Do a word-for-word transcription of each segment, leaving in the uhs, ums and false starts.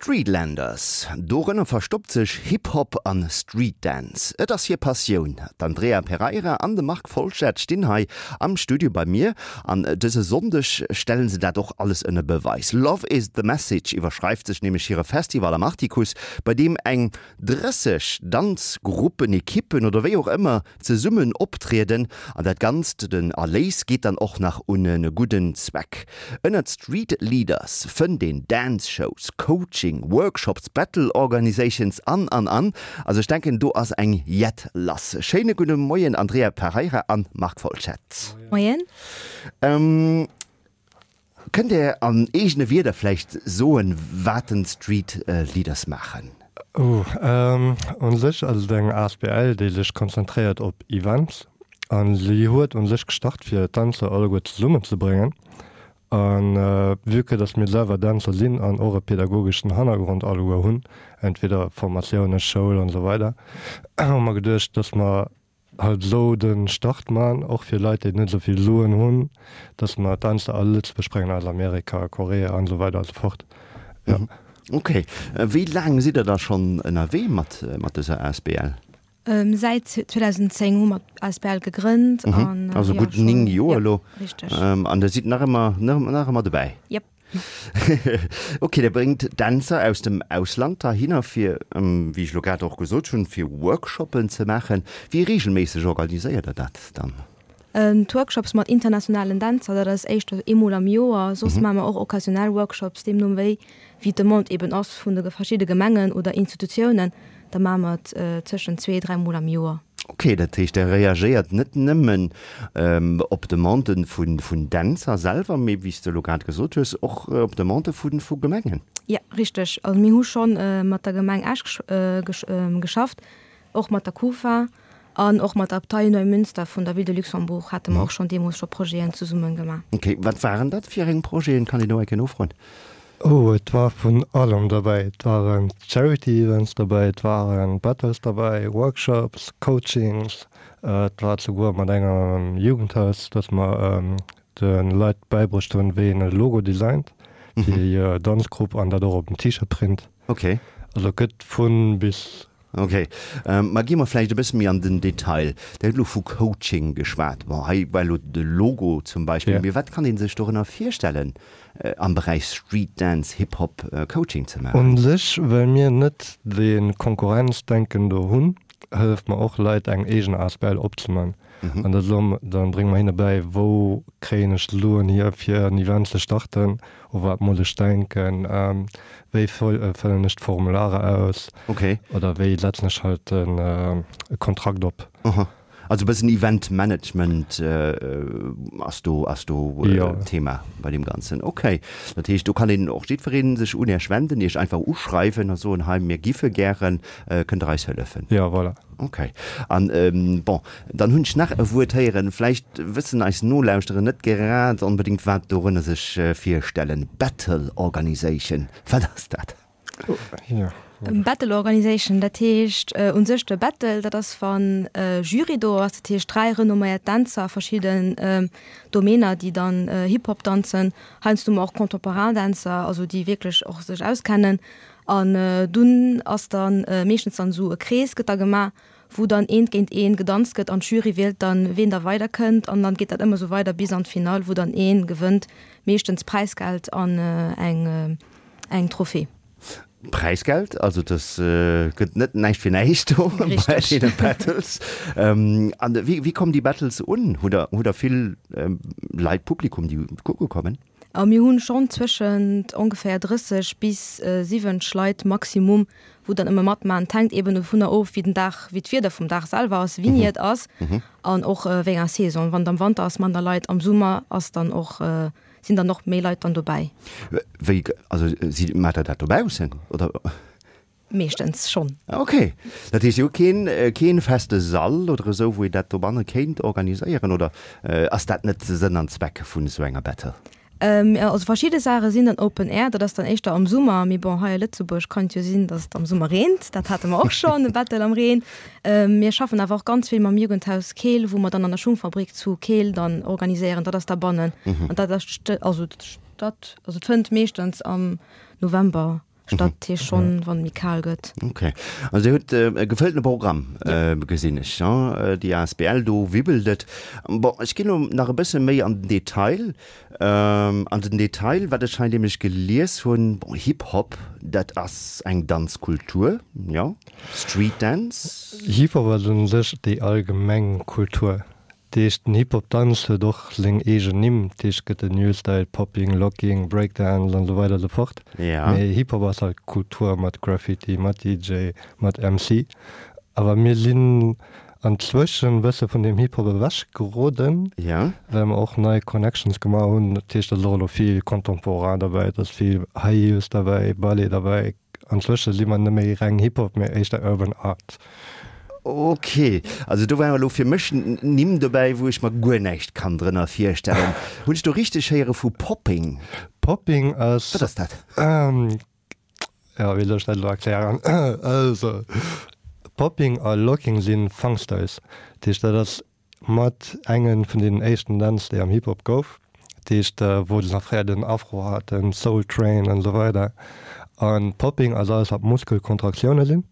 Streetlanders, dorënner verstoppt sech Hip-Hop an Street Dance. Et ass hir Passioun. D'Andrea Pereira an de Marc Folschette stinn hei am Studio bei mir an dëse Sonndeg stellen se dat och alles ënner Beweis. Love is the message iwwerschreift sech nämlech hire Festival am Artikuss, bei deem eng drësseg Danzgruppen, Ekippen oder wéi och ëmmer zesummen optrieden an dat Ganzt, den Erléis geet dann och nach un e gudden Zweck. Ënnert Street Leaders fënnt een Dance Shows, Coaching, Workshops, Battle Organizations an an an. Also ech denken do ass eng Jett lass. Schéine gudde Moien Andrea Pereira an Marc Folschette. Moien. Ähm, kënnt Dir an eegene Wierder vläicht soen, wat den Street Leaders maachen? Oh, ähm, un sech ass et eng asbl, déi sech konzentréiert op Events an si huet un sech gestart fir d'Dänzer alleguer zesummen ze bréngen. An vue que dass mir selwer Dänzer sinn an och e pädagogeschen Hannergrond alleguer hunn, entweder Formatioune, Schoul an esou weider, hu mer geduecht, dass mer halt esou de Start man, och fir Leit, déi net esou vill Suen hunn, dass mer d'Dänzer a Lëtzebuerg bréngen, aus Amerika, Korea an esou weider an esou fort. Jo. Ok. Wéi laang sidd Der da schonn ënnerwee mat dëser asbl? Säit zweedausendzéng hu mer d'asbl gegrënnt. Mhm. Also gutt néng Joer elo. Richteg. An Der sidd nach ëmmer, nach ëmmer dobäi? Jep. Ok, Der bréngt Dänzer aus dem Ausland heihinner, fir, wéi ech elo grad och gesot hunn, fir Workshoppen ze maachen. Wéi reegelméisseg organiséiert Der dat dann? D'Workshops mat internationalen Dänzer, dat ass éischter eemol am Joer. Soss maache mer och occasionnel Workshops, deemno wéi wéi d'Demande eeben ass vun de verschidde Gemengen oder Institutiounen. Da maache mer et tëschent zwee, dräi Mol am Joer. Ok, dat heescht, Der reagéiert net nëmmen op Demandë vun Dänzer selwer, mee wéi s de elo grad gesot hues, och op Demandë vu Gemengen? Jo, richteg. Also mir hu scho mat der Gemeng Esch geschafft, och mat der Kufa an och mat der Abtei Neumünster vun der Ville de Luxembourg hate mer och schonn deemools scho Projeten zesumme gemaach. Ok, wat waren dat fir eng Projeten? Kann een do eng Kéier nofroen? Oh, et war vun allem derbäi. Et waren Charity Events derbäi, et waren Battles derbäi, Workshops, Coachings, et war souguer mat engem Jugendhaus, dass mer de Leit bäibruecht hunn, wéi een e Logo designt fir hir Danzgrupp an dat och op en T-Shirt print. Ok. Also et gëtt vu bis. Ok, ma gi mer vläicht e bësse méi an den Detail. Der hutt elo vu Coaching geschwat. Bon, hei war elo de Logo zum Beispill. Mee wat kann ee sech dorënner virstellen, am Beräich Street Dance, Hip Hop Coaching ze maachen? U sech, well mir net dee Konkurrenzdenken do hunn, hëlleft mer och Leit eng eegen asbl opzeman. An da soe mer, da brénge mer hinne bäi, wou kréien ech d'Suen hier fir en Event ze starten, u wat muss ech denken, wéi fëllen ech d'Formulare aus oder wéi setzen ech halt e Kontrakt op. Aha. Also e bëssen Event Management ass do, ass do Thema bei deem Ganzen. Okay. Dat heescht, do kann een och jiddweree sech un Iech wenden, Iech einfach uschreiwen a soen, hei mir giffe gären, kënnt Der eis hëllefen? Jo, voilà. Okay. An, bon, dann hunn ech nach e Wuert héieren, vläicht wëssen eis Nolauschterer net grad onbedéngt, wat dorënner sech virstellen. Battle Organization, wat ass dat? Battle Organization, dat heescht u sech de Battle, dat ass wann e Jury do ass, dat heescht dräi renomméiert Dänzer a verschidden Domainer, déi dann Hip-Hop danzen, heiansdo mol och Contemporain Dänzer, also déi wierklech och sech auskennen. An dunn ass dann meeschtens dann esou e Krees gëtt da gemaach, wou dann eent géint een gedanzt gëtt an d'Jury wielt dann, ween da weider kënnt. An dann geet dat ëmmer esou weider bis an d'Finall, wou dann ee gewënnt, meeschtens Präisgeld an eng eng Trophée. Präisgeld, also dass gëtt net näischt fir näischt do bei deene Battles. An wéi wéi kommen déi Battles un? Hutt der hutt der vill Leit, Publikum, déi kucke kommen? A mir hunn schonn zwëschent ongeféier drësseg bis siwwenzeg Leit Maximum, wou dann ëmmer matmaachen. Et hänkt eben dovunner of, wéi den Dag, wéi d'Wieder vum Dag selwer ass, wéini et ass an och wéi enger Saison. Wann et am Wanter ass, manner Leit, am Summer ass dann och, sinn dann och méi Leit dann dobäi. Wéi, also si, maacht Der dat dobaussen, oder? Meeschtens schonn. Ok. Dat heescht, Dir hutt keen, keen feste Sall oder esou, wou een dat dobanne kéint organiséieren, oder ass dat net Sënn an Zweck vun esou enger Battle? Also verschidde Saache sinn dann Open Air, dat ass dann éischter am Summer. Mee bon, hei a Lëtzebuerg kann et jo sinn, datt et am Summer reent. Dat hate mer och schonn, e Battle am Reen. Mir schaffen awer och ganz vill mam Jugendhaus Keel, wou mer dann an der Schungfabrik zu Keel dann organiséieren. Dat ass da bannen. An dat ass, also dat, also et fënnt meeschtens am November statt, dat heescht schonn, wann et méi kal gëtt. Ok, also Dir hutt e gefëlltene Programm, gesinn ech, déi asbl, do wibbelt et. Bon, ech ginn elo nach e bësse méi an den Detail, an den Detail, wat ech hei nämlech gelies hunn, bon, Hip-Hop, dat ass eng Danzkultur, jo, Street Dance. Hip-Hop ass u sech déi allgemeng Kultur. Dat heescht, den Hip-Hop-Danz huet och seng eegen Nimm, dat heescht, et gëtt den New Style, Popping, Locking, Breakdance an esou weider esou fort. Mee Hip-Hop ass halt Kultur mat Graffiti, mat D J, mat M C. Awer mir sinn anzwëschen e bësse vun deem Hip-Hop ewech geroden, well mer och nei Connections gemaach hunn. Dat heescht, et ass och elo vill Contemporain derbäi, et ass vill High Heels derbäi, Ballet derbäi. Anzwësche si mer net méi reng Hip-Hop, mee éischter Urban Art. Ok, also do waren elo fir mech Nimm dobäi, wou ech mer guer näischt kann drënner virstellen. Hunn ech do richteg héiere vu Popping? Popping ass. Wat ass dat? Jo, wéi soll ech dat elo erklären? Also, Popping a Locking si Funk Styles. Dat heescht, dat ass mat enge vun deenen éischten Dänz, déi am Hip-Hop gouf. Dat heescht, wou se nach fréier den Afro haten, Soul Train an esou weider. A Popping ass alles, wat Muskelkontraktioune sinn.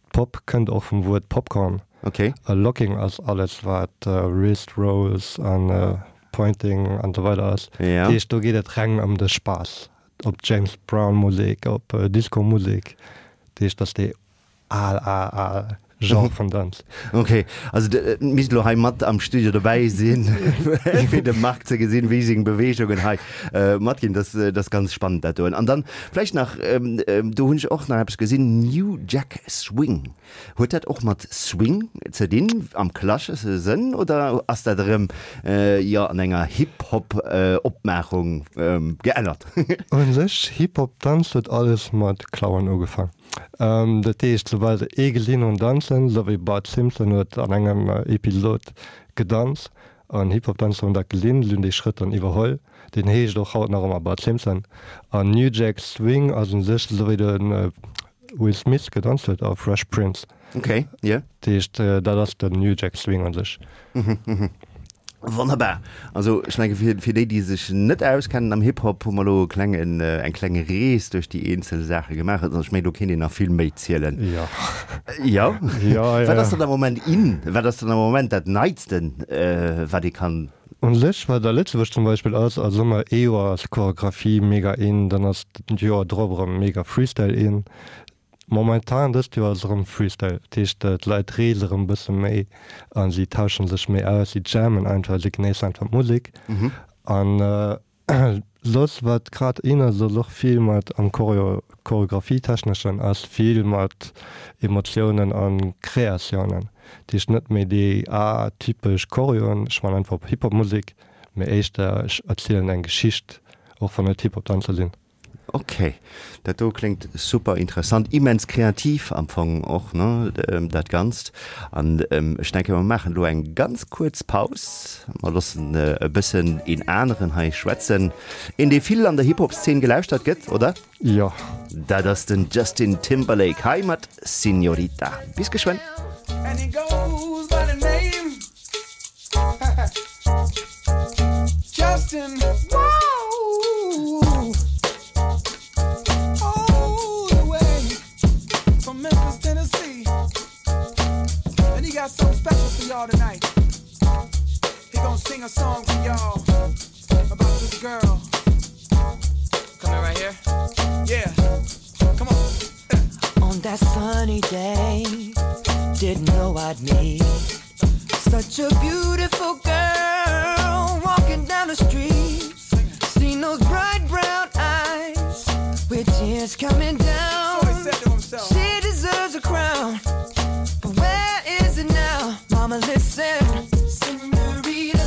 Pop kënnt och vum Wuert Popcorn. Okay. A Locking ass alles wat Wrist Rolls an Pointing an esou weider ass. Ja. Dat heescht do geet et reng ëm de Spaass. Op James Brown Musek, op Disco Musek. Dat heescht dat ass déi al al al Genre vun Danz. Ok, also et misst elo hei mat am Studio dobäi sinn, fir de Marc ze gesinn, wéi seng Beweegungen hei matginn. Dat ass ganz spannend dat doen. An dann vläicht nach, do hunn ech och nach eppes gesinn, New Jack Swing. Huet dat och mat Swing ze dinn am klassesche Sënn oder ass dat erëm, jo, an enger Hip-Hop-Opmaachung geännert? U sech, Hip-Hop-Danz huet alles mat Klauen ugefaang. Dat heescht, soubal se ee gesinn hunn danzen, esou wéi Bart Simpson huet an engem Episod gedanzt an Hip-Hop-Danzer hunn dat gesinn, si hunn dee Schrëtt dann iwwerholl. Deen heescht och haut nach ëmmer Bart Simpson. An New Jack Swing ass u sech esou wéi de Will Smith gedanzt huet a Fresh Prince. Ok, jo. Dat heescht, dat ass den New Jack Swing u sech. Wonnerbar! Also ech menge fir fir déi, déi sech net auskennen am Hip-Hop, hu mer elo e klengen, eng kleng Rees duerch déi eenzel Saache gemaach. Also ech mengen, do kéint een nach vill méi zielen. Jo. Jo? Jo, jo. Wat ass dann am Moment in? Wat ass dann am Moment dat Neitsten, wat ee kann? Un sech, wat a Lëtzebuerg zum Beispill ass, ass ëmmer ee Joer ass Choreographie mega in, dann ass d'Joer drop erëm mega Freestyle in. Momentan dëst Joer ass erëm Freestyle, dat heescht d'Leit reese erëm e bësse méi a si tauschen sech méi aus, si jammen einfach, si genéissen einfach d'Musek. An soss wat grad in ass, ass och vill mat am Choreo, Choreographie-techneschen ass vill mat Emotiounen a Kreatiounen. Dat heescht net méi déi atypesch Choreoen, ech man einfach op Hip-Hop-Musek, mee éischter ech erzielen eng Geschicht, och wann et Hip-Hop-Danzer sinn. Ok, dat do kléngt super interessant, immens kreativ am Fong och, ne, dat Ganzt. An ech denke mer maachen elo eng ganz kuerz Paus, mer loossen e bëssen een aneren hei schwätzen, een dee vill an der Hip-Hop-Szene gelauschtert gëtt, oder? Jo. Dat ass den Justin Timberlake hei mat Señorita. Bis geschwënn. And he goes by the name Justin. Whoa! All the way from Memphis, Tennessee. And he got something special for y'all tonight. He gonna sing a song for y'all about this girl. Come in right here. Yeah. Come on. On that sunny day, didn't know I'd meet such a beautiful girl walking down the street. Seen those bright brown eyes with tears coming down. So he said to himself. She deserves a crown, but where is it now? Mama, listen. Senorita,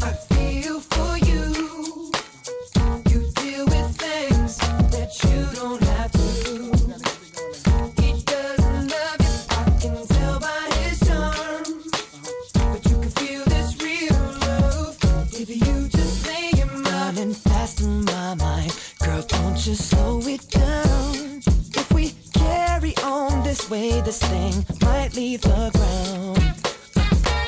I feel for you. You deal with things that you don't have to. He doesn't love you, I can tell by his charm. But you can feel this real love if you just lay your mind and fast in my mind. Girl, don't you slow it down. If we carry on this way, this thing might leave the ground.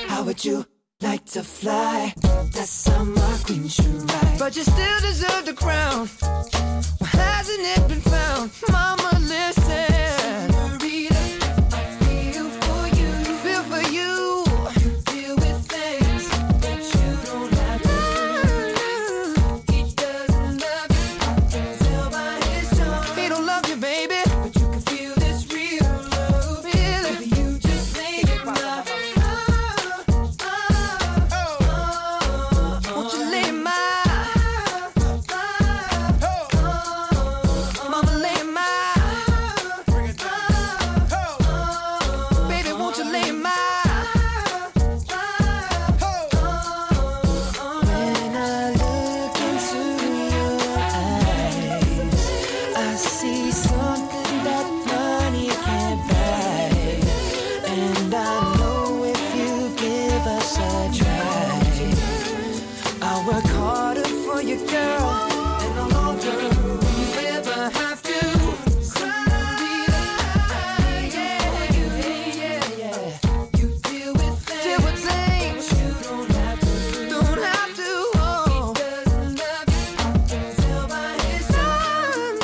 How would you like to fly? That's how my queen should ride. But you still deserve the crown. Why hasn't it been found? Mama, Work harder for your girl, and no longer will you ever have to cry. Yeah, yeah, yeah. You deal with things, deal with things you don't have to, don't have to. Oh. He doesn't love you, I can tell by his signs.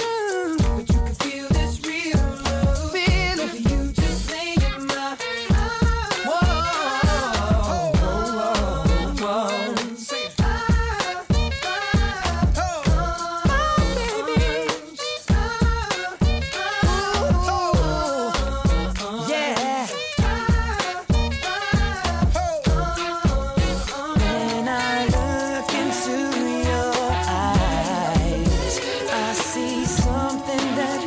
But you can feel this real love, feel it. If you just lay in my whoa, whoa, whoa. Say it. Oh, baby. Ooh, yeah. When I look into your eyes, I see something that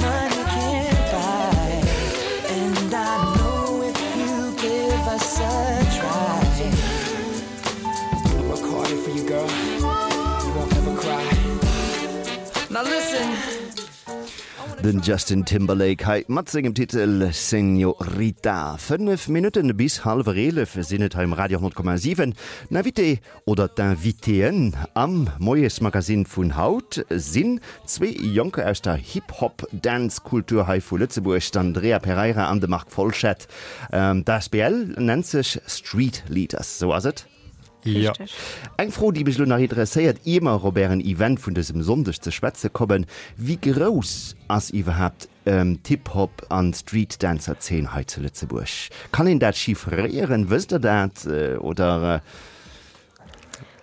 money can't buy. And I know if you give us a try, I'll work harder for you, girl. You won't ever cry. Now listen. Den Justin Timberlake hei mat sengem Titel Señorita. Fënnef Minutten bis hallwer eelef sinn et hei um Radio honnert Komma siwen. Den Invité oder d'Invitéen am Moiesmagazin vun haut sinn zwee Jonker aus der Hip-Hop-Dance-Kultur hei vu Lëtzebuerg, d'Andrea Pereira an de Marc Folschette. D'Asbl nennt sech Street Leaders, sou ass et? Jo. Richteg. Eng Fro, déi mech elo nach interesséiert, ier mer op ären Event vun dësem Sonndeg ze schwätze kommen, Wéi grouss ass iwwerhaapt d'Hip-Hop an Street-Dancer-Zeen hei zu Lëtzebuerg? Kann een dat chiffréieren? Wësst der dat oder?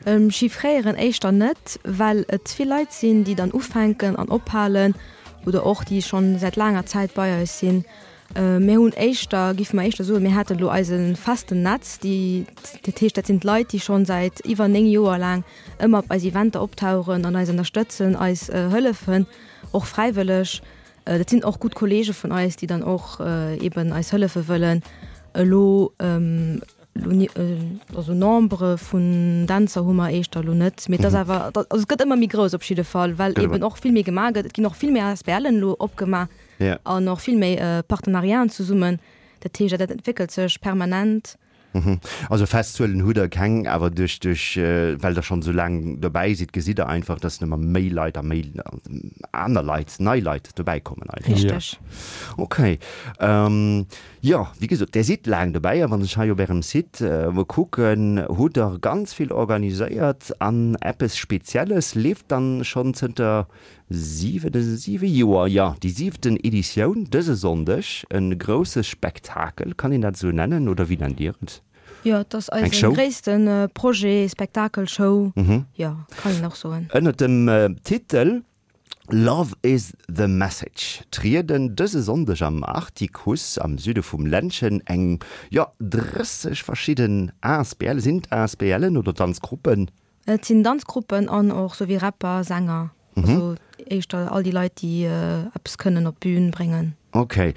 Chiffréieren éischter net, well et vill Leit sinn, déi dann ufänken an ophalen oder och déi schonn säit laanger Zäit bei eis sinn. Mir hunn éischter, géife mer éischter soen, mir hätten elo eise festen Netz, déi, dat heescht, dat sinn d'Leit, déi schonn säit iwwer néng Joer laang ëmmer op eis Eventer optauchen an eis ënnerstëtzen, eis hëllefen, och fräiwëlleg. Dat sinn och gutt Kollege vun eis, déi dann och eben eis hëllefe wëllen. Elo, also Nombre vun Dänzer hu mer éischter elo net, mee et ass awer, also et gëtt ëmmer méi grouss op jidde Fall, well eben och vill méi gemaach gëtt. Et ginn och vill méi ASBLen elo opgemaach an och vill méi Partenariaten zesummen. Dat heescht, dat entwéckelt sech permanent. Also fest Zuelen hutt Der keng, awer duerch, duerch, well Der schonn esou laang dobäi sidd, gesitt Der einfach, dass ëmmer méi Leit a méi aner Leit, nei Leit dobäikommen einfach. Richteg. Okay. Jo, wéi gesot, Der sidd laang dobäi a wann ech hei op Ärem Site emol kucken, hutt Der ganz vill organiséiert an eppes Spezielles leeft dann schonn zënter siwe, siwe Joer, jo, déi siwten Editioun dëse Sonndeg, e grousse Spektakel, kann een dat esou nennen oder wéi nennt Dir et? Jo, et ass Eng eise Show? gréisste Projet, Spektakel, Show, jo, kann een och soen. Ënnert dem Titel Love is the message trieden dëse Sonndeg am Artikuss am Süde vum Ländchen eng, jo, drësseg verschidden Asbl, sinn et Asblen oder Danzgruppen? Et sinn Danzgruppen an och sou wéi Rapper, Sänger, also éischter all déi Leit, déi eppes kënnen op d'Bün bréngen. Ok.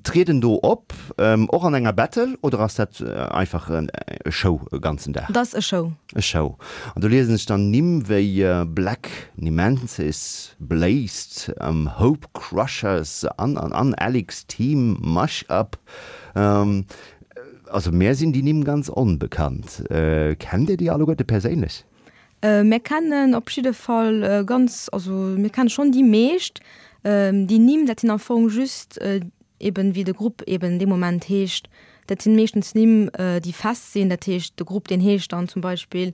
Trieden do op, och an enger Battle oder ass dat einfach e Show e ganzen Dag? Dat ass e Show. E Show. An do liesen ech dann Nimm wéi Black Nemesis, Blazed, Hope Crushers an an an, Alex Team, Mash Up. Also mär sinn déi Nimm ganz onbekannt. Kennt Dir déi alleguerte perséinlech? Mir kennen op jidde Fall ganz, also mir kenne schonn déi meescht. Déi Nimm, dat sinn am Fong just eben, wéi de Grupp eben dee Moment heescht. Dat sinn meeschtens Nimm, déi fest sinn. Dat heescht, de Grupp, deen heescht dann zum Beispill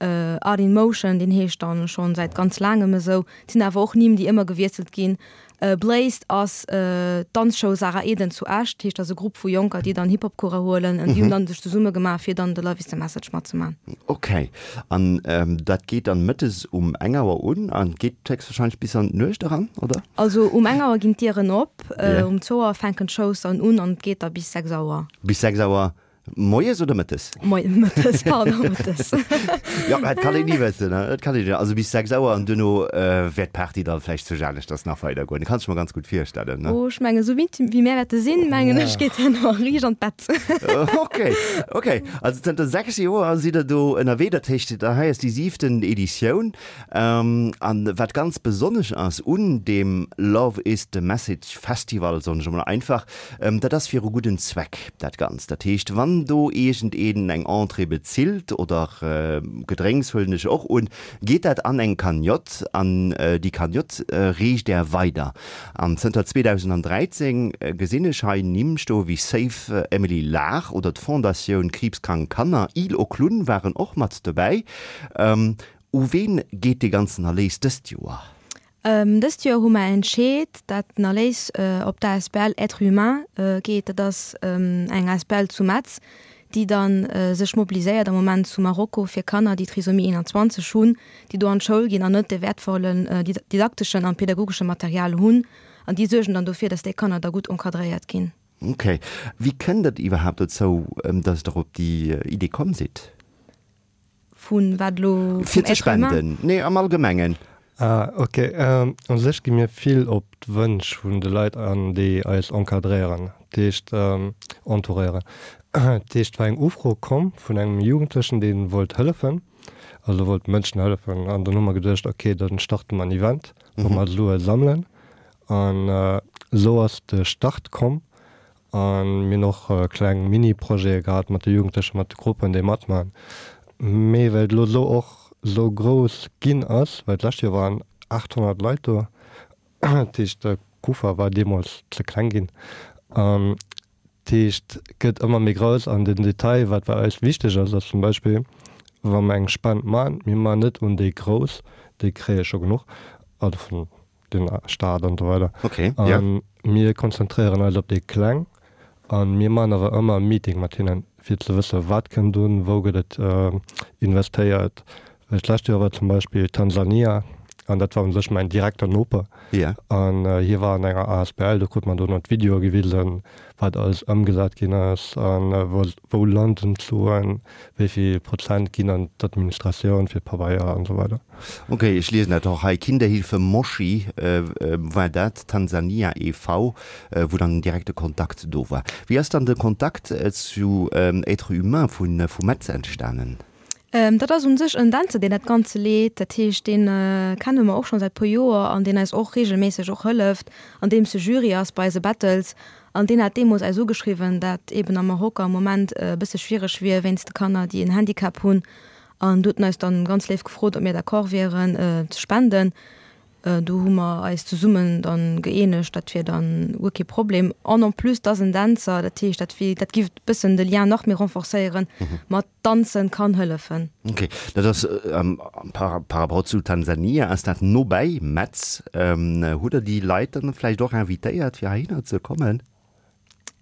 Art in Motion, deen heescht dann schonn säit ganz laangem esou. Et sinn awer och Nimm, déi ëmmer gewiesselt ginn. Blazed ass d'Danzshow Sarah Eden zu Esch, dat heescht, dat ass e Grupp vu Jonker, déi dann Hip-Hop-Course huelen an déi hunn dann sech zesumme gemaach, fir dann de Love is the Message matzemaachen. Ok, an dat geet dann mëttes um eng Auer un an geet héchstwahrscheinlech bis an d'Nuecht eran, oder? Also um eng Auer ginn d'Dieren op, um zwou Auer fänken d'Shows dann un an et geet da bis sechs Auer. Bis sechs Auer Moies oder mëttes? Moi, mëttes, pardon, mëttes. Jo, dat kann een ni wëssen, ne? Dat kann een, also bis sechs Auer an duerno wäert d'Party da vläicht zu aneschters nach weidergoen. Kann ech mer ganz gutt virstellen, ne? Oh, ech mengen, esou wéi, wéi mär wäerte sinn, mengen ech, geet herno riicht an d'Bett. Okay, okay. Also zënter sechs Joer sidd Der do ënnerwee, dat heescht, dat hei ass déi siwten Editioun. An wat ganz besonnesch ass un deem Love is the Message Festival, soen ech emol einfach, dat ass fir e gudden Zweck dat Ganzt. Dat heescht, wann Wann do iergendeen eng Entrée bezilt oder Gedrénks, huelen ech och un, geet dat an eng Cagnotte an déi Cagnotte reecht Der weider. An zënter zweedausenddräizéng gesinn ech hei Nimm stoe wéi Save Emily Lahr oder d'Fondatioun Kriibskrank Kanner, Île aux Clowns waren och mat dobäi. U ween geet dee ganzen Erléis dëst Joer? Dëst Joer hu mer entscheet, dat den Erléis op d'Asbl Être Humain geet. Dat ass eng Asbl zu Metz, déi dann sech mobiliséiert am Moment zu Marokko fir Kanner, déi Trisomie einundzwanzeg hunn, déi do an d'Schoul ginn an net de wäertvollen didakteschen an pedagogesche Material hunn. An déi suergen dann dofir, dass déi Kanner da gutt encadréiert ginn. Ok. Wéi kënnt et iwwerhaapt dozou, dass Der op déi Idee komm sidd? Vun wat elo? Fir ze spenden? Nee, am Allgemengen. Ah, ok. U sech gi mir vill op d'Wënsch vun de Leit an, déi eis encadréieren, dat heescht entouréieren. Dat heescht, et war eng Ufro komm vun engem Jugendlechen, dee wollt hëllefen, also wollt Mënschen hëllefen. An dann hu mer geduecht, ok, da starte mer en Event, wou mer Sue sammelen. An esou ass de Start komm. A mir hunn och kleng Mini-Projete gehat mat de Jugendlechen, mat de Gruppen, déi matmaachen. Mee well et elo esou och esou grouss ginn ass, well d'lescht Joer waren aathonnert Leit do, dat heescht de Kufa war deemools ze kleng ginn, dat heescht gëtt ëmmer méi grouss. An den Detail, wat bei eis wichteg ass, ass zum Beispill, wa mer eng Spend maachen, mir maachen net un déi Grouss, déi kréie scho genuch, also vun den Staat an esou weider. Okay, ja. An mir konzentréieren eis op déi Kleng a mir maachen awer ëmmer e Meeting mat hinnen, fir ze wësse wat kënnt un, wou gëtt et investéiert. Well d'lescht Joer war zum Beispill Tansania an dat war u sech mäin direkter Noper. Ja. An hie war an enger asbl, do krut mer dono d'Videoe gewisen, wat alles ëmgesat ginn ass a wou landen d'Suen, wéi vill Prozent ginn an d'Administratioun fir d'Pabeier an esou weider. Ok, ech liesen dat och hei, Kinderhilfe Moshi war dat, Tansania e V, wou dann den direkte Kontakt do war. Wéi ass dann de Kontakt zu Être Humain vu Metz entstanen? Dat ass un sech en Dänzer, deen dat Ganze leet. Dat heescht, dee kenne mer och schonn säit puer Joer an deen eis och reegelméisseg och hëlleft, andeems e Jury ass bei eise Battles. An deen hat deemools eis ugeschriwwen, dat eeben am Marokko am Moment e bësse schwiereg wier wéinst de Kanner, déi en Handicap hunn. An du huet en eis dann ganz léif gefrot, ob mir d'accord wieren ze spenden. Do hu mer eis zesummen dann gëeenegt, dat wier dann guer kee Problem. An en plus, 't ass en Dänzer, dat heescht, dat wier, dat giff bëssen de Lien nach méi renforcéieren mat Danzen kann hëllefen. Ok, dat ass par par rapport zu Tansania ass dat no bäi Metz. Hutt Der déi Leit dann vläicht och invitéiert fir heihinner ze kommen?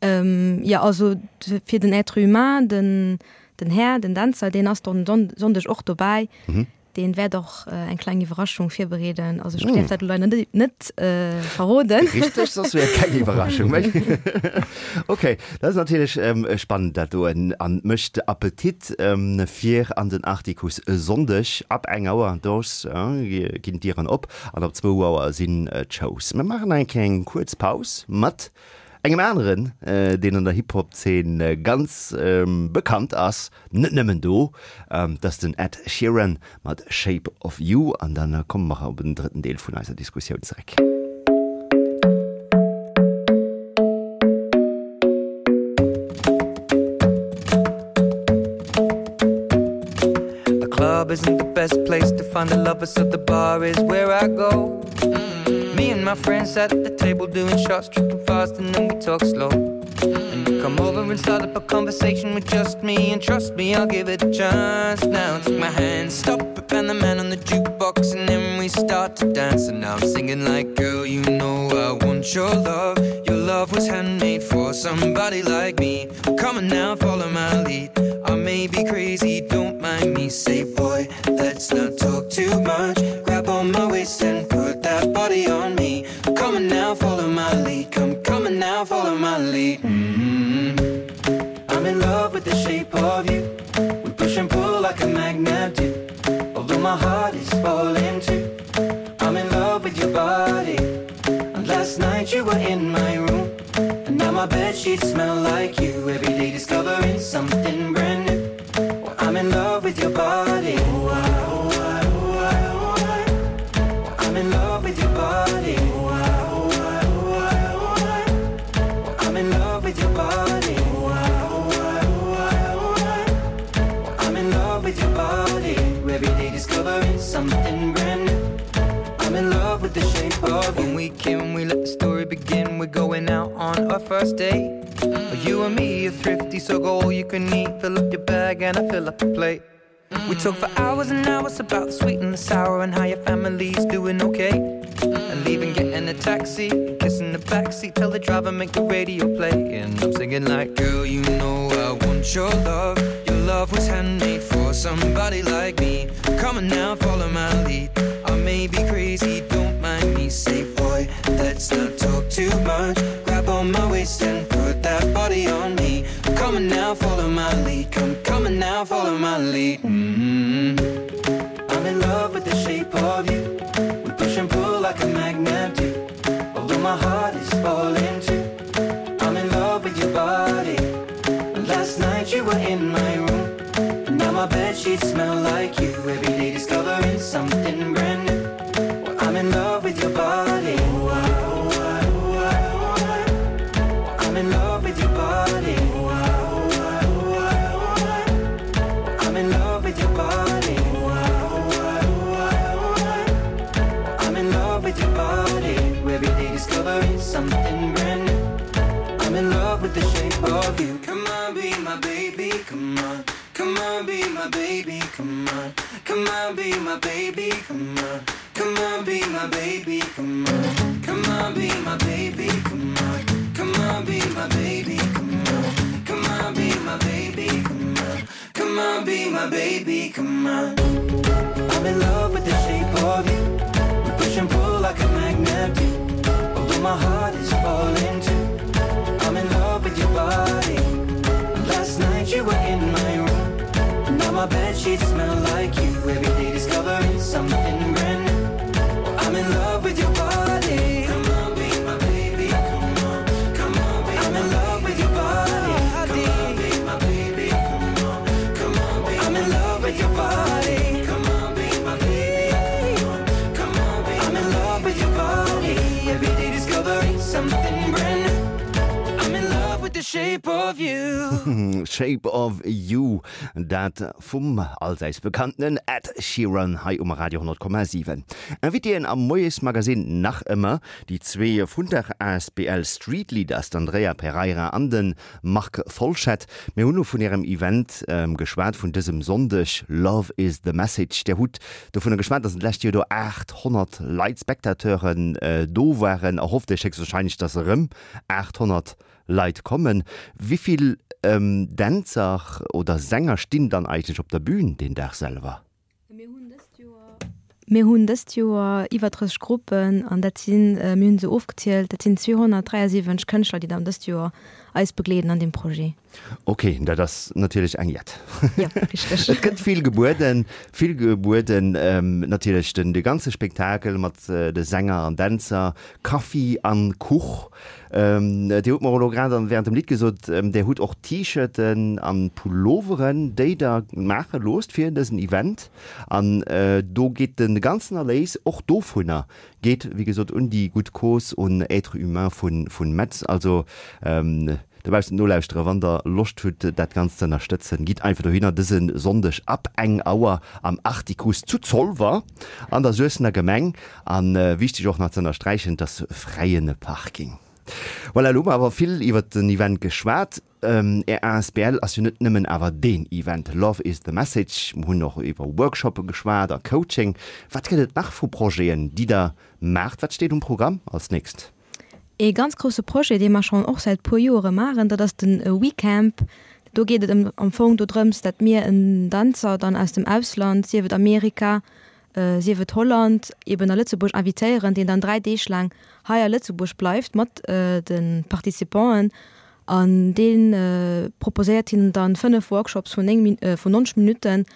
Jo, also fir den Être humain, den den Här, den Dänzer, deen ass dann Sonndeg och dobäi. Deen wäert och eng kleng Iwwerraschung virbereeden. Also ech däerf dat elo leider net net verroden. Richteg, soss wier et keng Iwwerraschung méi. Ok, dat ass natierlech spannend dat do an mécht Appetit fir an den Artikuss e Sonndeg ab eng Auer. Do ginn d'Dieren op an ab zwou Auer sinn d'Shows. Mir maachen eng kleng kuerz Paus mat engem aneren, deen an der Hip-Hop-Zeen ganz bekannt ass, net nëmmen do, dat ass den Ed Sheeran mat Shape of You. An da komme mer op en drëtten Deel vun eiser Diskussioun zeréck. The club isn't the best place to find a lover, so the bar is where I go. Me and my friends at the table doing shots, tripping fast, and then we talk slow. And you come over and start up a conversation with just me, and trust me, I'll give it a chance. Now take my hand, stop it, and the man on the jukebox, and then we start to dance. And now I'm singing like, girl, you know I want your love. Your love was handmade for somebody like me. Come on now, follow my lead. I may be crazy, don't mind me. Say, boy, let's not talk too much. Grab on my waist and put that body on me. Come on now, follow my lead. Come, come on now, follow my lead. Mm -hmm. I'm in love with the shape of you. We push and pull like a magnet do. Although my heart is falling too. I'm in love with your body. And last night you were in my room. And now my bed sheets smell like you. Every day discovering something brand new. Well, I'm in love with your body. Oh, I, oh, I, oh, I, oh, I. Well, I'm in love with your body. Oh, I, oh, I, oh, I, oh, I. Well, I'm in love with your body. Oh, I, oh, I, oh, I, discovering something brand new. I'm in love with the shape of you. When we came, we let the story begin. We're going out on our first date. You and me are thrifty, so go all you can eat. Fill up your bag and I fill up the plate. We talk for hours and hours about the sweet and the sour and how your family's doing okay. And leaving, getting a taxi, kissing the backseat, tell the driver make the radio play. And I'm singing like, girl, you know I want your love. Your love was handmade for somebody like me. Come on now, follow my lead. I may be crazy, don't mind me. Say, boy, let's not talk too much. Grab on my waist and put that body on me. Come on now, follow my lead. Come, come on now, follow my lead. Mm -hmm. I'm in love with the shape of you. We push and pull like a magnet do. Although my heart is falling too. I'm in love with your body. Last night you were in my room. And now my bed sheets smell like you. Every day discovering something brand new. Well, I'm in love with your body. Oh, I, oh, I, oh, I, oh, I. Well, I'm in love with your body. Oh, I, oh, I, oh, I, oh, I. Well, I'm in love with your body. Oh, I, oh, I, oh, I, oh, I. Well, I'm in love with your body. Every day discovering something brand new. I'm in love with the shape of you. Come on, be my baby, come on. Come on, be my baby, come on. Come on, be my baby, come on. Come on, be my baby, come on. Come on, be my baby, come on. Come on, be my baby, come on. Come on, be my baby, come on. Come on, be my baby, come on. I'm in love with the shape of you. We push and pull like a magnet do. Although my heart is falling too. I'm in love with your body. Last night you were in my room. Now my bed sheets smell like you. Every day discovering something brand new. Well, I'm in love with your body. Come on, be my baby. Come on, come on, be I'm in love with your body. Come on, be my baby. Come on, come on, be I'm in love with your body. Come on, be my baby. Come on, come on, be I'm in love with your body. Every day discovering something brand new. I'm in love with the shape of you. Shape of You, dat vum allsäits bekannten Ed Sheeran hei um Radio honnert Komma siwen. Invitéen am Moiesmagazin nach ëmmer déi zwee vun der asbl Street Leaders, d'Andrea Pereira an de Marc Folschette. Mir hunn elo vun ärem Event geschwat vun dësem Sonndeg, Love is the Message. Dir hutt dovunner geschwat, dass d'lescht Joer do aathonnert Leit, Spectateuren, do waren. Erhofft Iech héchstwahrscheinlech, dass erëm aathonnert Leit kommen. Wéi vill Dänzer oder Sänger stinn dann eigentlech op der Bühn deen Dag selwer? Mir hunn dëst Joer, mir hunn dëst Joer iwwer drësseg Gruppen an dat sinn, mir hunn se ofgezielt, dat sinn zweehonnertdräiasiwwenzeg Kënschtler, déi dann dëst Joer eis begleeden an deem Projet. Ok, dat ass natierlech eng Jett. Jo, richteg. Et gëtt vill gebueden, vill gebueden, natierlech den de ganze Spektakel mat de Sänger an Dänzer, Kaffi an Kuch. Dir hutt mer elo grad an während dem Lidd gesot, Dir hutt och T-Shirten an Pulloveren, déi Der maache loosst fir dësen Event. An do geet de ganzen Erléis och dovunner geet wéi gesot un déi gutt Cause, un Êtres Humains vun Metz. Also dobaussen nolauschtere, wann der Loscht hutt dat Ganzt ze ënnerstëtzen, gitt einfach dohinner dëse Sonndeg ab eng Auer am Artikuss zu Zolwer an der Suessener Gemeng. A wichteg och nach ze ënnersträichen, et ass fräie Parking. Voilà, elo hu mer awer vill iwwert den Event geschwat. Är asbl ass jo net nëmmen awer deen Event, Love is the Message. Mer hunn och iwwer Workshoppe geschwat a Coaching. Wat gëtt et nach vu Projeten, déi der maacht? Wat steet um Programm als nächst? Ee ganz grousse Projet, dee mer schonn och säit puer Joere maachen, dat ass de WeCamp. Do geet et am Fong dodrëms, dat mir en Danzer dann aus dem Ausland, sief et Amerika, sief et Holland, eben a Lëtzebuerg invitéieren, deen dann dräi Deeg laang hei a Lëtzebuerg bleift mat de Participanten an dee proposéiert hinnen dann fënnef Workshops vun néng, vun nonzeg Minutten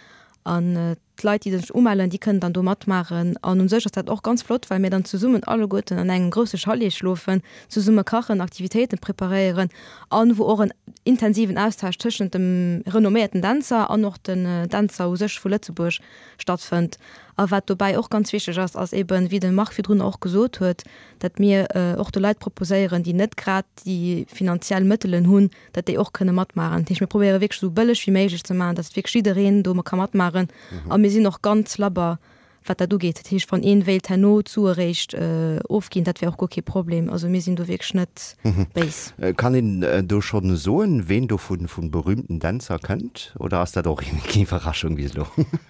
an d'Leit, déi sech umellen, déi kënnen dann do matmaachen. An u sech ass dat och ganz flott, well mir dann zesummen alleguerten an engem grousse Chalet schlofen, zesumme kachen, Aktivitéiten preparéieren an wou och en intensiven Austausch tëschent dem renomméierten Dänzer an och den Dänzer u sech vu Lëtzebuerg stattfënnt. A wat dobäi och ganz wichteg ass, ass eben, wéi de Marc virdrun och gesot huet, datt mir och de Leit proposéieren, déi net grad déi finanziell Mëttelen hunn, datt déi och kënne matmaachen. Dat heescht, mir probéiere wierklech esou bëlleg wéi méiglech ze maachen, datt wierklech jiddereen do ka matmaachen a A mir sinn och ganz labber, wat dat ugeet. Dat heescht, wann een wéilt herno d'Sue eréischt ofginn, dat wär och guer kee Problem. Also mir sinn do wierklech net béis. Kann een do schonn soen, ween do vu berühmten Dänzer kënnt, oder ass dat och eng Iwwerraschung bis elo?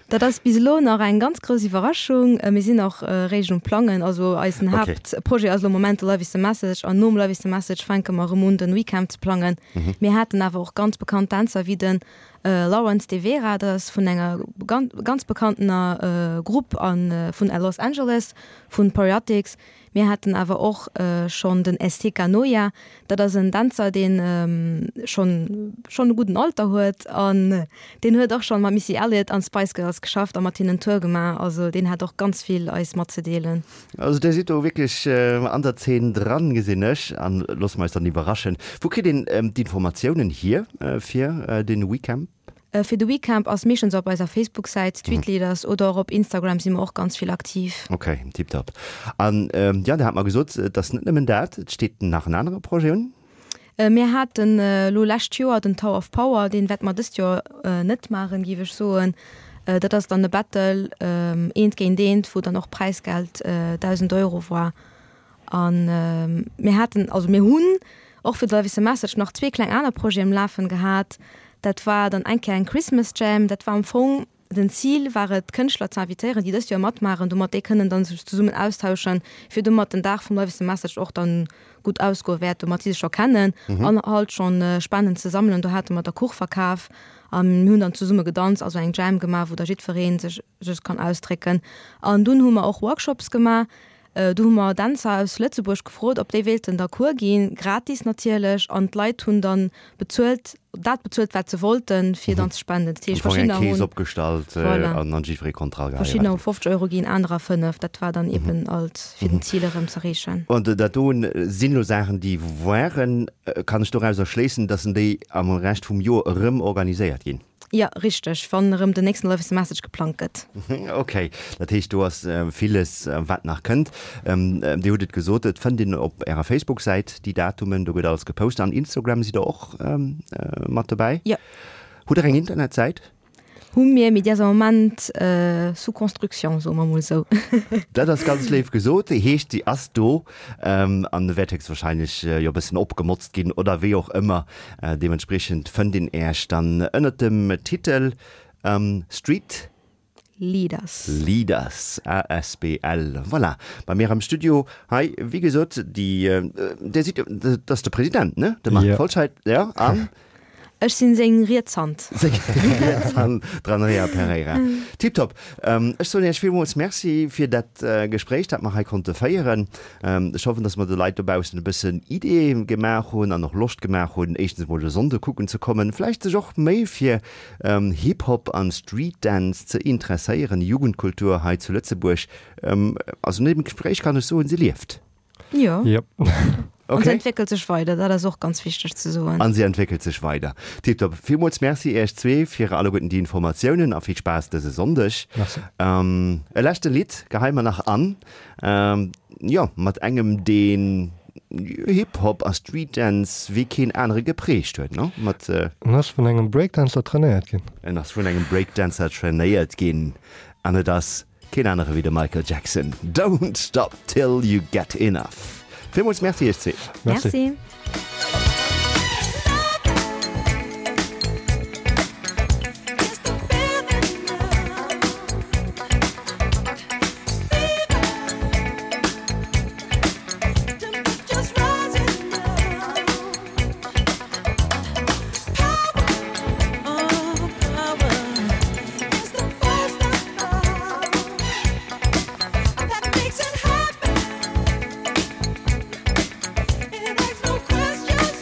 Dat ass bis elo nach eng ganz grouss Iwwerraschung. Mir sinn och eréischt um Plangen. Also eisen Haaptprojet ass elo am Moment de Love is the Message an nom Love is the Message fänke mer erëm un den WeCamp ze plangen. Mir haten awer och ganz bekannt Dänzer wéi den Lawrence De Vera, dat ass vun enger ganz bekanntener Grupp a vun Los Angeles, vun Poreotics. Mir haten awer och schonn den Esteca Noia, dat ass en Dänzer, deen schonn schonn e gudden Alter huet an deen huet och schonn mat Missy Elliott an Spice Girls geschafft a mat hinnen Tour gemaach. Also deen hat och ganz vill eis matzedeelen. Also Dir sidd do wierklech an der Zeen dran, gesinn ech, an loosse mer eis dann iwwerraschen. Wou kritt een d'Informatiounen hier fir den WeCamp? Fir de WeCamp ass meeschtens op eiser Facebook-Säit Streetleaders oder och op Instagram si mer och ganz vill aktiv. Ok, tiptop. An jo, Dir hat mer gesot, et ass net nëmmen dat, et steet nach en anere Projet un? Mir haten elo lescht Joer den Tower of Power, deen wäerte mer dëst Joer net maachen, géif ech soen. Dat ass dann e Battle eent géint eent, wou dann och Präisgeld dausend Euro war. An mir haten, also mir hunn och fir de Love is a Message nach zwee kleng aner Projeten um Lafen gehat. Dat war dann eng Kéier eng Christmas Jam. Dat war am Fong den Zil war et, Kënschtler ze invitéieren, déi dëst Joer matmaachen, domat déi kënnen dann sech zesummen austauschen, fir domat den Dag vum Love is a Message och dann gutt ausgoe wäert, domat si sech scho kennen an halt schonn Spenden ze sammelen. Do hate mer da Kuch verkaf a mir hunn dann zesumme gedanzt, also eng Jam gemaach, wou da jiddweree sech sech kann ausdrécken. An dunn hu mer och Workshops gemaach. Do hu mer Dänzer aus Lëtzebuerg gefrot, ob déi wéilten da Cours ginn, gratis natierlech, an d'Leit hunn dann bezuelt, dat bezuelt, wat se wollten, fir dann ze spenden. Dat heescht, verschiddener hunn. Eng Kees opgestallt an an jiddweree konnt dra geheien. Verschiddener hu fofzeg Euro ginn, anerer fënnef. Dat war dann eben alt, fir den Zil erëm z'erreechen. An dat do sinn elo Saachen, déi waren. Kann ech dorauser schléissen, dass déi am Rescht vum Joer erëm organiséiert ginn? Jo, richteg, wann erëm den nächsten Love is the Message geplangt gëtt. Ok, dat heescht do ass villes wat nach kënnt. Dir hutt et gesot, et fënnt een op Ärer Facebook-Säit déi Datumen, do gëtt alles gepost. An Instagram sidd Der och mat dobäi? Jo. Hutt Der eng Internetsäit? Hu mir, mee déi ass am Moment sous construction, soe mer mol esou. Dat ass ganz léif gesot. Heescht, déi ass do an wäert héchstwahrscheinlech jo e bëssen opgemotzt ginn oder wéi och ëmmer. Deementspriechend fënnt een Äech dann ënnert dem Titel Street. Leaders. Leaders asbl. Voilà, bei mir am Studio hei, wéi gesot, déi, Dir sidd jo, dat ass de President, ne? De Marc Folscheid, jo, an? Ech sinn seng riets Hand. Seng riets Hand, d'Andrea Pereira. Tiptop. Ech soen Iech villmools Merci fir dat Gespréich, dat mer hei konnte féieren. Ech hoffen, dass mer de Leit dobaussen e bëssen Ideeë gemaach hunn an och Loscht gemaach hunn, éischtens emol de Sonnde kucken ze kommen, vläicht sech och méi fir Hip-Hop an Street-Dance ze interesséieren. Jugendkultur hei zu Lëtzebuerg, also no deem Gespréich kann ech soen, se lieft. Jo. Yep. Okay. An se entwéckelt sech weider, dat ass och ganz wichteg ze soen. An se entwéckelt sech weider. Tiptop. Villmools Merci Iech zwee fir alleguerten déi Informatiounen a vill Spaass dëse Sonndeg. Merci. E leschte Lidd geheie mer nach an, jo, mat engem, deen Hip-Hop a Street-Dance wéi keen anere geprägt huet, no? Mat. En ass vun engem Breakdancer trainéiert ginn. En ass vun engem Breakdancer trainéiert ginn an et ass Keen anere wéi de Michael Jackson, Don't stop till you get enough. Villmools Merci iech zwee. Merci. That makes it happen. It begs no question.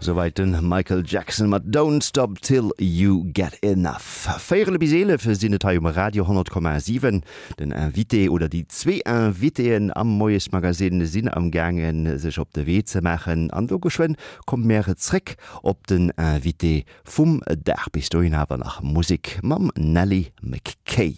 Souwäit de Michael Jackson mat Don't Stop Till You Get Enough. Véierel bis eelef sinn et hei um Radio honnert Komma siwen. Den Invité oder déi zwee Invitéen am Moiesmagazine sinn am gaangen sech op de Wee ze maachen an do geschwënn komme mir zréck op den Invité vum Dag. Bis dohin awer nach Musek mam Nelly McKay.